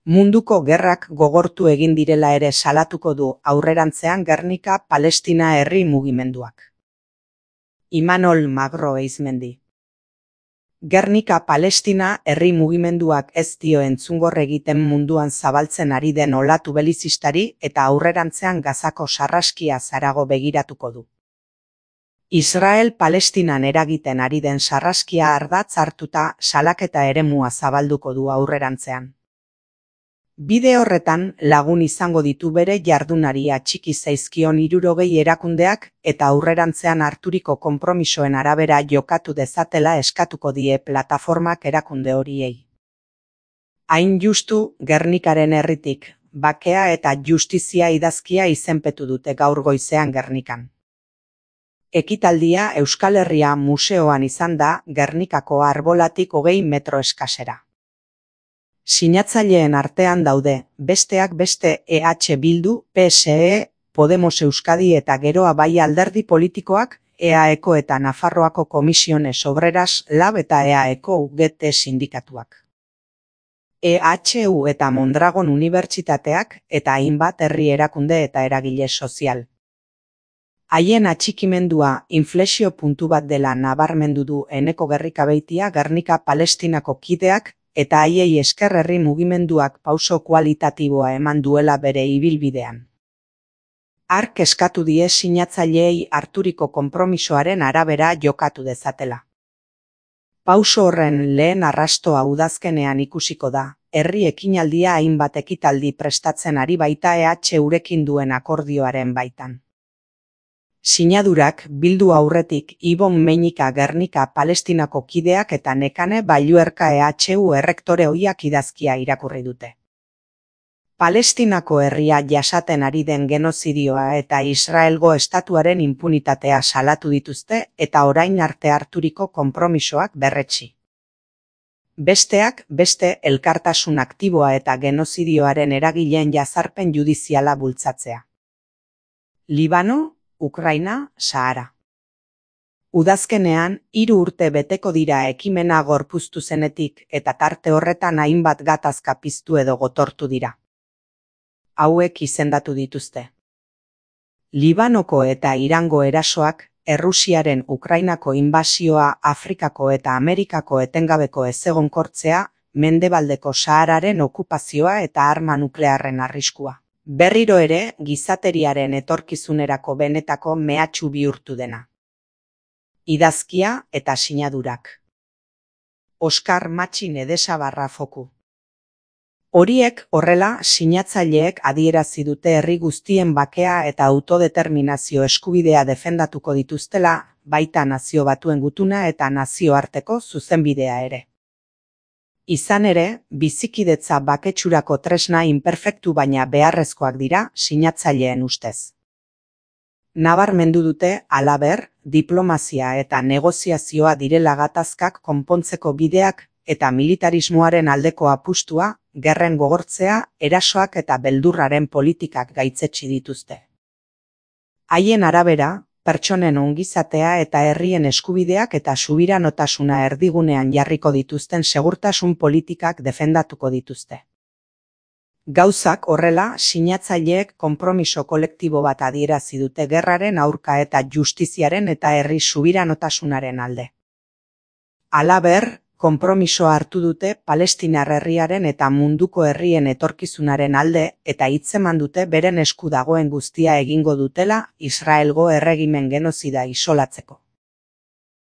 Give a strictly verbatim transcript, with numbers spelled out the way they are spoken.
Munduko gerrak gogortu egin direla ere salatuko du aurrerantzean Gernika Palestina herri mugimenduak. Imanol Magro Eizmendi. Gernika Palestina herri mugimenduak ez dio entzungor egiten munduan zabaltzen ari den olatu belizistari eta aurrerantzean Gazako sarraskia zarago begiratuko du. Israel Palestinan eragiten ari den sarraskia ardatz hartuta salaketa eremua zabalduko du aurrerantzean. Bide horretan lagun izango ditu bere jardunari atxiki zaizkion hirurogei erakundeak eta aurrerantzean harturiko konpromisoen arabera jokatu dezatela eskatuko die plataformak erakunde horiei. Hain justu, Gernikaren herritik, bakea eta justizia idazkia izenpetu dute gaur goizean Gernikan. Ekitaldia Euskal Herria museoan izan da Gernikako arbolatik hogei metro eskasera. Sinatzaileen artean daude, besteak beste E H Bildu, P S E, Podemos Euskadi eta geroa bai alderdi politikoak, E A E ko eta Nafarroako Komisiones Obreras, Lab eta E A E ko U G T sindikatuak. E H U eta Mondragon Unibertsitateak eta hainbat herri erakunde eta eragile sozial. Haien atxikimendua inflexio puntu bat dela nabarmendu du Eneko Gerrikabeitia Gernika Palestinako kideak, eta haiei esker herri mugimenduak pauso kualitatiboa eman duela bere ibilbidean. Hark eskatu die sinatzaileei harturiko konpromisoaren arabera jokatu dezatela. Pauso horren lehen arrastoa udazkenean ikusiko da, herri ekinaldia hainbat ekitaldi prestatzen ari baita E H Urekin duen akordioaren baitan. Sinadurak bildu aurretik Ibon Meinika Gernika Palestinako kideak eta Nekane Balluerka E H U errektore ohiak idazkia irakurri dute. Palestinako herria jasaten ari den genozidioa eta Israelgo estatuaren inpunitatea salatu dituzte eta orain arte harturiko konpromisoak berretsi. Besteak beste elkartasun aktiboa eta genozidioaren eragileen jazarpen judiziala bultzatzea. Libano, Ukraina, Sahara. Udazkenean, hiru urte beteko dira ekimena gorpuztu zenetik eta tarte horretan hainbat gatazka piztu edo gotortu dira. Hauek izendatu dituzte. Libanoko eta Irango erasoak, Errusiaren Ukrainako inbasioa, Afrikako eta Amerikako etengabeko ezegonkortzea, Mendebaldeko Sahararen okupazioa eta arma nuklearren arriskua. Berriro ere, gizateriaren etorkizunerako benetako mehatxu bihurtu dena. Idazkia eta sinadurak. Oskar Matxin Edesabarra Foku. Horiek horrela sinatzaileek adierazi dute herri guztien bakea eta autodeterminazio eskubidea defendatuko dituztela, baita nazio batuen gutuna eta nazioarteko zuzenbidea ere. Izan ere, bizikidetza baketsurako tresna inperfektu baina beharrezkoak dira sinatzaileen ustez. Nabarmendu dute, halaber, diplomazia eta negoziazioa direla gatazkak konpontzeko bideak eta militarismoaren aldeko apustua, gerren gogortzea, erasoak eta beldurraren politikak gaitzetsi dituzte. Haien arabera, pertsonen ongizatea eta herrien eskubideak eta subiranotasuna erdigunean jarriko dituzten segurtasun politikak defendatuko dituzte. Gauzak horrela, sinatzaileek konpromiso kolektibo bat adierazi dute gerraren aurka eta justiziaren eta herri subiranotasunaren alde. Halaber, konpromisoa hartu dute Palestinar herriaren eta munduko herrien etorkizunaren alde eta hitzeman dute beren esku dagoen guztia egingo dutela Israelgo erregimen genozida isolatzeko.